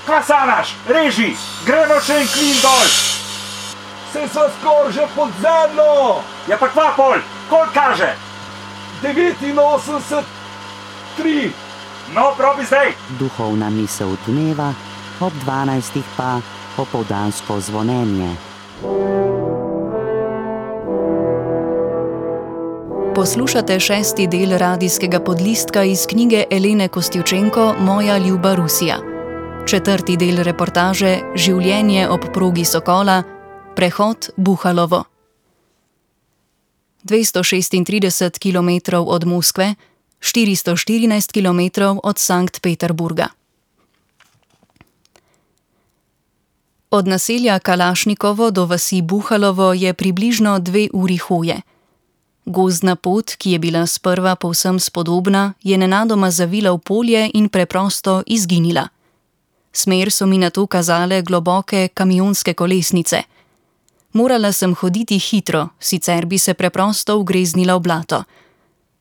Kaj sanaš? Reži, gremo še en klin dol. Se sva skoraj že pod zemljo. Ja pa kva pol, koliko kaže? 89,3. No, probi zdaj. Duhovna misel dneva, ob 12 pa opoldansko zvonjenje. Poslušate 6. del radijskega podlistka iz knjige Elene Kostjučenko Moja ljuba Rusija. 4. del reportaže Življenje ob progi Sokola, prehod Buhalovo. 236 km od Moskve, 414 km od Sankt Peterburga. Od naselja Kalašnikovo do vasi Buhalovo je približno 2 uri hoje. Gozdna pot, ki je bila sprva povsem spodobna, je nenadoma zavila v polje in preprosto izginila. Smer so mi nato kazale globoke kamionske kolesnice. Morala sem hoditi hitro, sicer bi se preprosto ugreznila v blato.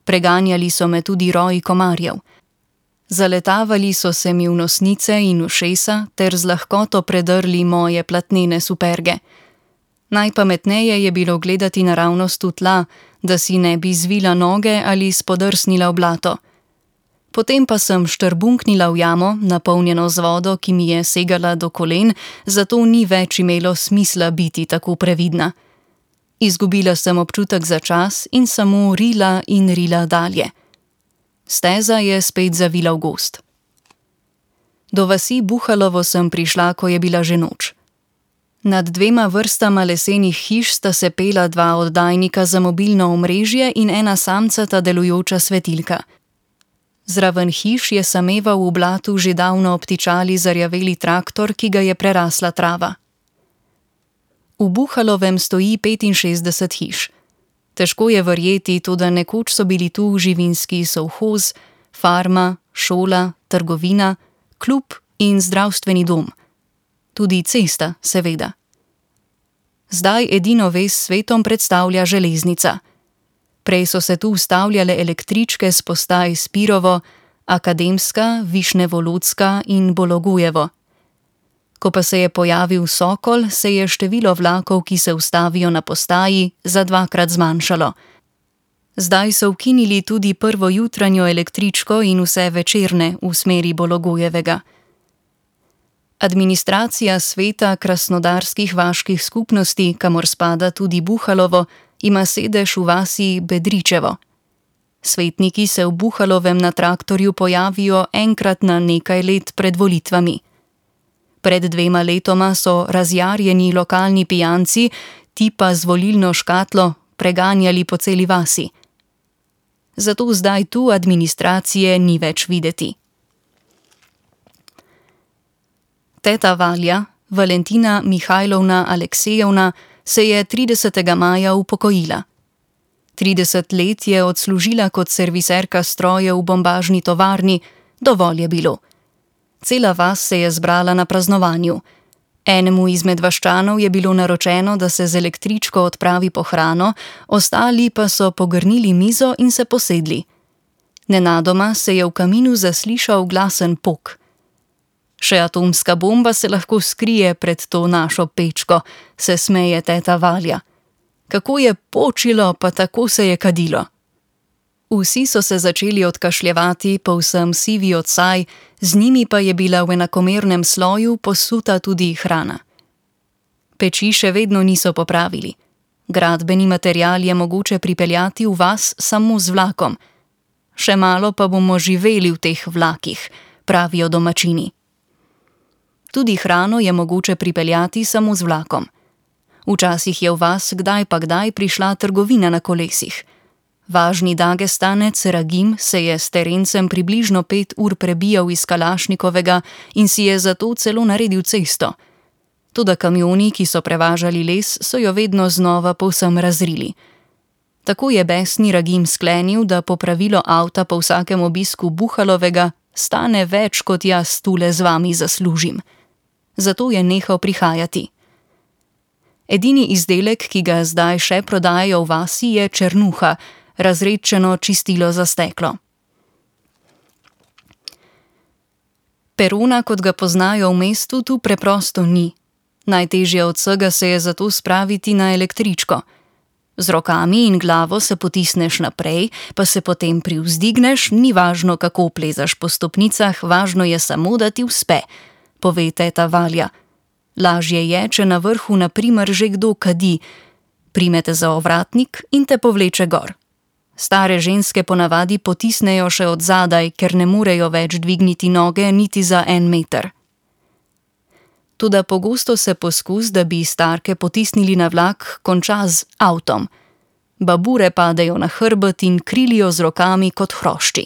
Preganjali so me tudi roji komarjev. Zaletavali so se mi v nosnice in ušesa ter z lahkoto predrli moje platnene superge. Najpametneje je bilo gledati naravnost v tla, da si ne bi zvila noge ali spodrsnila v blato. Potem pa sem štrbunknila v jamo, napolnjeno z vodo, ki mi je segala do kolen, zato ni več imelo smisla biti tako previdna. Izgubila sem občutek za čas in samo rila in rila dalje. Steza je spet zavila v gozd. Do vasi Buhalovo sem prišla, ko je bila že noč. Nad 2 vrstama lesenih hiš sta se pela 2 oddajnika za mobilno omrežje in ena samcata delujoča svetilka. Zraven hiš je sameval v blatu že davno obtičali zarjaveli traktor, ki ga je prerasla trava. V Buhalovem stoji 65 hiš. Težko je verjeti, toda nekoč so bili tu živinski sovhoz, farma, šola, trgovina, klub in zdravstveni dom. Tudi cesta, seveda. Zdaj edino vez s svetom predstavlja železnica. Prej so se tu ustavljale električke s postaj Spirovo, Akademska, Višnevolodska in Bologujevo. Ko pa se je pojavil Sokol, se je število vlakov, ki se ustavijo na postaji, za 2-krat zmanjšalo. Zdaj so ukinili tudi prvo jutranjo električko in vse večerne v smeri Bologujevega. Administracija sveta krasnodarskih vaških skupnosti, kamor spada tudi Buhalovo, ima sedež v vasi Bedričevo. Svetniki se v Buhalovem na traktorju pojavijo enkrat na nekaj let pred volitvami. Pred 2 letoma so razjarjeni lokalni pijanci, tipa z volilno škatlo, preganjali po celi vasi. Zato zdaj tu administracije ni več videti. Teta Valja, Valentina Mihajlovna Aleksejevna, se je 30. maja upokojila. 30 let je odslužila kot serviserka strojev v bombažni tovarni, dovolj je bilo. Cela vas se je zbrala na praznovanju. Enemu izmed vaščanov je bilo naročeno, da se z električko odpravi po hrano, ostali pa so pogrnili mizo in se posedli. Nenadoma se je v kaminu zaslišal glasen pok. Še atomska bomba se lahko skrije pred to našo pečko, se smeje teta Valja. Kako je počilo, pa tako se je kadilo. Vsi so se začeli odkašljevati, povsem sivi od saj, z njimi pa je bila v enakomernem sloju posuta tudi hrana. Peči še vedno niso popravili. Gradbeni material je mogoče pripeljati v vas samo z vlakom. Še malo pa bomo živeli v teh vlakih, pravijo domačini. Tudi hrano je mogoče pripeljati samo z vlakom. Včasih je v vas kdaj pa kdaj prišla trgovina na kolesih. Važni Dagestanec Ragim se je s terencem približno 5 ur prebijal iz Kalašnikovega in si je zato celo naredil cesto. Toda kamioni, ki so prevažali les, so jo vedno znova povsem razrili. Tako je besni Ragim sklenil, da popravilo avta po vsakem obisku Buhalovega stane več, kot jaz tule z vami zaslužim. Zato je nehal prihajati. Edini izdelek, ki ga zdaj še prodajajo v vasi, je črnuha, razredčeno čistilo za steklo. Perona, kot ga poznajo v mestu, tu preprosto ni. Najtežje od vsega se je zato spraviti na električko. Z rokami in glavo se potisneš naprej, pa se potem privzdigneš, ni važno, kako plezaš po stopnicah, važno je samo, da ti uspe, pove teta Valja. Lažje je, če na vrhu na primer že kdo kadi, primete za ovratnik in te povleče gor. Stare ženske ponavadi potisnejo še od zadaj, ker ne morejo več dvigniti noge niti za 1 meter. Toda pogosto se poskus, da bi starke potisnili na vlak, konča z avtom. Babure padejo na hrbet in krilijo z rokami kot hrošči.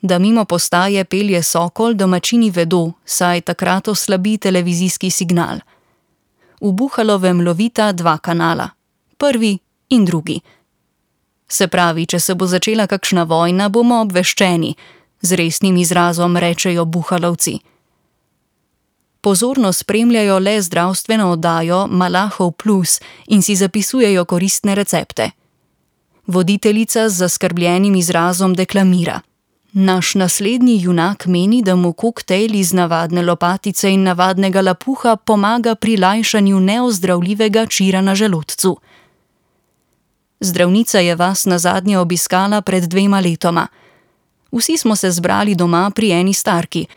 Da mimo postaje pelje Sokol, domačini vedo, saj takrat oslabi televizijski signal. V Buhalovem lovita 2 kanala, prvi in drugi. Se pravi, če se bo začela kakšna vojna, bomo obveščeni, z resnim izrazom rečejo Buhalovci. Pozorno spremljajo le zdravstveno oddajo Malahov Plus in si zapisujejo koristne recepte. Voditeljica z zaskrbljenim izrazom deklamira. Naš naslednji junak meni, da mu koktejl iz navadne lopatice in navadnega lapuha pomaga pri lajšanju neozdravljivega čira na želodcu. Zdravnica je vas nazadnje obiskala pred 2 letoma. Vsi smo se zbrali doma pri eni starki.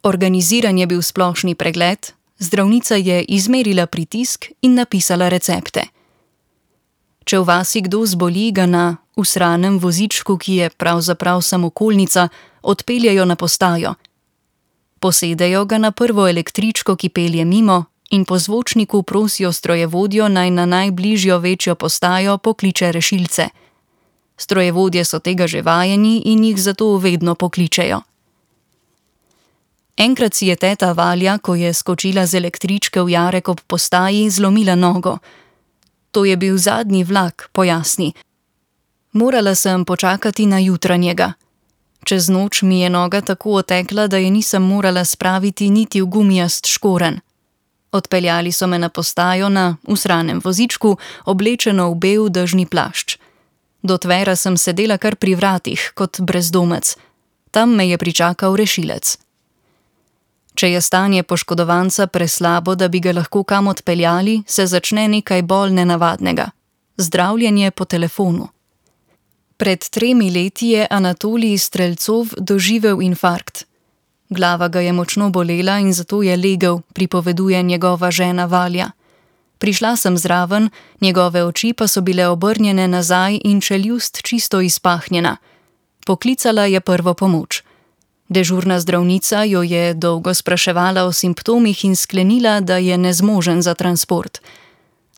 Organiziran je bil splošni pregled, zdravnica je izmerila pritisk in napisala recepte. Če v vasi kdo zboli, ga na usranem vozičku, ki je pravzaprav samokolnica, odpeljejo na postajo. Posedejo ga na prvo električko, ki pelje mimo, in po zvočniku prosijo strojevodjo, naj na najbližjo večjo postajo pokliče rešilce. Strojevodje so tega že vajeni in jih zato vedno pokličejo. Enkrat si je teta Valja, ko je skočila z električke v jarek ob postaji, zlomila nogo. To je bil zadnji vlak, pojasni. Morala sem počakati na jutranjega. Čez noč mi je noga tako otekla, da je nisem morala spraviti niti v gumijast škorenj. Odpeljali so me na postajo na usranem vozičku, oblečeno v bel dežni plašč. Do tvera sem sedela kar pri vratih, kot brezdomec. Tam me je pričakal rešilec. Če je stanje poškodovanca preslabo, da bi ga lahko kam odpeljali, se začne nekaj bolj nenavadnega. Zdravljenje po telefonu. Pred 3 leti je Anatolij Strelcov doživel infarkt. Glava ga je močno bolela in zato je legel, pripoveduje njegova žena Valja. Prišla sem zraven, njegove oči pa so bile obrnjene nazaj in čeljust čisto izpahnjena. Poklicala je prvo pomoč. Dežurna zdravnica jo je dolgo spraševala o simptomih in sklenila, da je nezmožen za transport.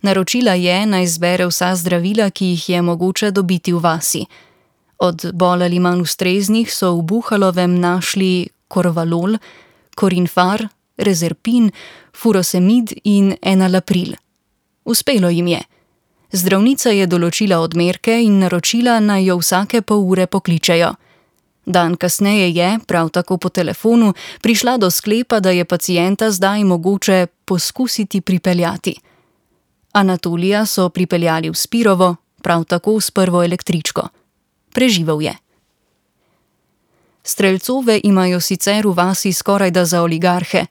Naročila je, naj zbere vsa zdravila, ki jih je mogoče dobiti v vasi. Od bolj ali manj ustreznih so v Buhalovem našli Korvalol, Korinfar, Rezerpin, Furosemid in Enalapril. Uspelo jim je. Zdravnica je določila odmerke in naročila, naj jo vsake pol ure pokličejo. Dan kasneje je, prav tako po telefonu, prišla do sklepa, da je pacienta zdaj mogoče poskusiti pripeljati. Anatolija so pripeljali v Spirovo, prav tako s prvo električko. Preživel je. Strelcove imajo sicer v vasi skorajda za oligarhe.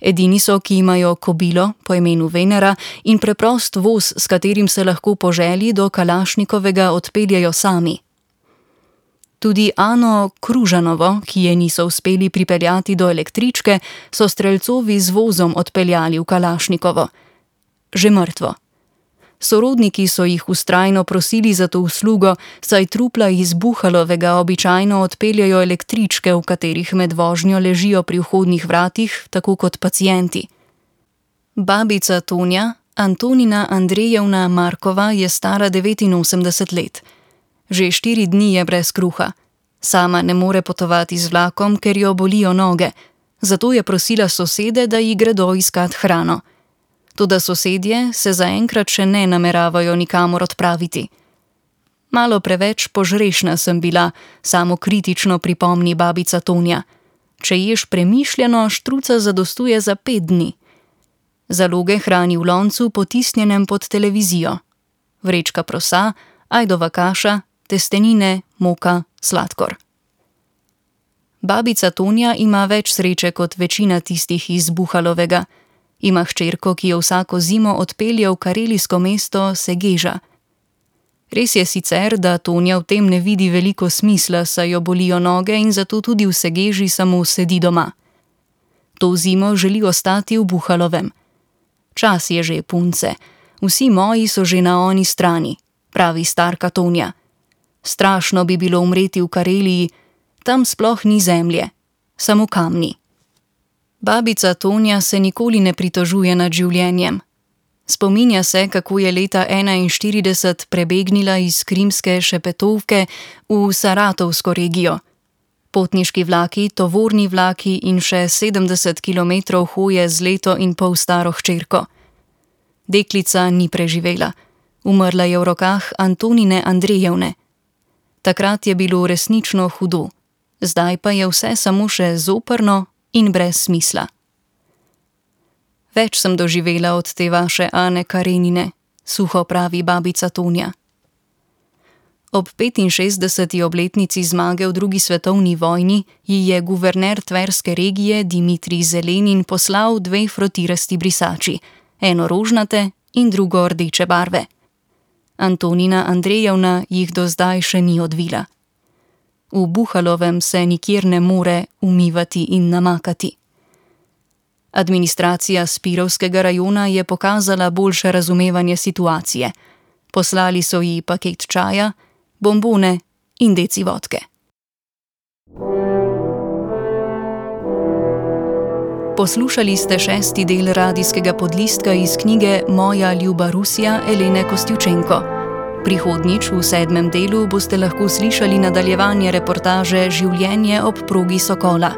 Edini so, ki imajo kobilo po imenu Venera in preprost voz, s katerim se lahko po želji do Kalašnikovega odpeljejo sami. Tudi Ano Kružanovo, ki je niso uspeli pripeljati do električke, so Strelcovi z vozom odpeljali v Kalašnikovo. Že mrtvo. Sorodniki so jih vztrajno prosili za to uslugo, saj trupla iz Buhalovega običajno odpeljajo električke, v katerih med vožnjo ležijo pri vhodnih vratih, tako kot pacienti. Babica Tonja, Antonina Andrejevna Markova, je stara 89 let. Že 4 dni je brez kruha. Sama ne more potovati z vlakom, ker jo bolijo noge. Zato je prosila sosede, da ji gredo iskat hrano. Toda sosedje se zaenkrat še ne nameravajo nikamor odpraviti. Malo preveč požrešna sem bila, samokritično pripomni babica Tonja. Če ješ premišljeno, štruca zadostuje za 5 dni. Zaloge hrani v loncu, potisnjenem pod televizijo. Vrečka prosa, ajdova kaša, testenine, moka, sladkor. Babica Tonja ima več sreče kot večina tistih iz Buhalovega. Ima hčerko, ki jo vsako zimo odpelje v karelijsko mesto Segeža. Res je sicer, da Tonja v tem ne vidi veliko smisla, saj jo bolijo noge in zato tudi v Segeži samo sedi doma. To zimo želi ostati v Buhalovem. Čas je že, punce, vsi moji so že na oni strani, pravi starka Tonja. Strašno bi bilo umreti v Kareliji, tam sploh ni zemlje, samo kamni. Babica Tonja se nikoli ne pritožuje nad življenjem. Spominja se, kako je leta 1941 prebegnila iz krimske Šepetovke v Saratovsko regijo. Potniški vlaki, tovorni vlaki in še 70 kilometrov hoje z leto in pol staro hčerko. Deklica ni preživela. Umrla je v rokah Antonine Andrejevne. Takrat je bilo resnično hudo. Zdaj pa je vse samo še zoprno in brez smisla. Več sem doživela od te vaše Ane Karenine, suho pravi babica Tonja. Ob 65. obletnici zmage v drugi svetovni vojni ji je guverner tverske regije Dimitrij Zelenin poslal 2 frotirasti brisači, eno rožnate in drugo rdeče barve. Antonina Andrejevna jih do zdaj še ni odvila. V Buhalovem se nikjer ne more umivati in namakati. Administracija Spirovskega rajona je pokazala boljše razumevanje situacije. Poslali so ji paket čaja, bombone in deci vodke. Poslušali ste 6. del radijskega podlistka iz knjige Moja ljuba Rusija Elene Kostjučenko. Prihodnjič v 7. delu boste lahko slišali nadaljevanje reportaže Življenje ob progi Sokola.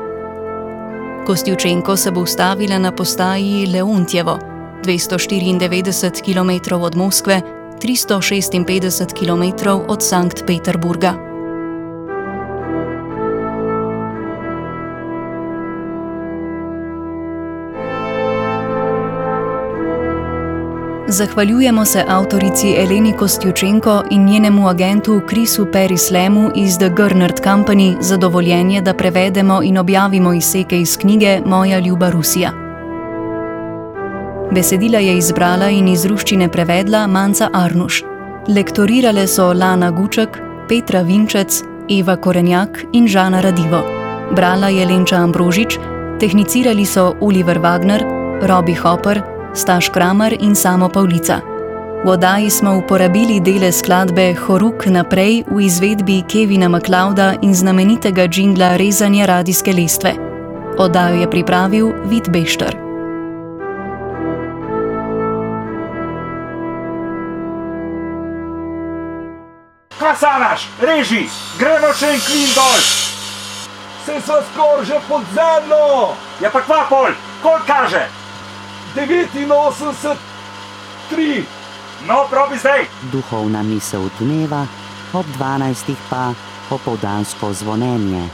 Kostjučenko se bo ustavila na postaji Leontjevo, 294 km od Moskve, 356 km od Sankt Peterburga. Zahvaljujemo se avtorici Eleni Kostjučenko in njenemu agentu Chrisu Perislemu iz The Gernert Company za dovoljenje, da prevedemo in objavimo izseke iz knjige Moja ljuba Rusija. Besedila je izbrala in iz ruščine prevedla Manca Arnuš. Lektorirale so Lana Guček, Petra Vinčec, Eva Korenjak in Žana Radivo. Brala je Lenča Ambrožič, tehnicirali so Oliver Wagner, Robi Hopper, Staš Kramer in Samo Pavlica. V oddaji smo uporabili dele skladbe Horuk naprej v izvedbi Kevina MacLeoda in znamenitega džingla Rezanja radijske lestve. Oddajo je pripravil Vid Bešter. Kasanaš, reži, gremo še en klin dol. Se sva skoraj že pod zemljo! Ja pa kva pol, koliko kaže? 89,3. No, probi zdaj. Duhovna misel dneva, ob 12. pa opoldansko zvonjenje.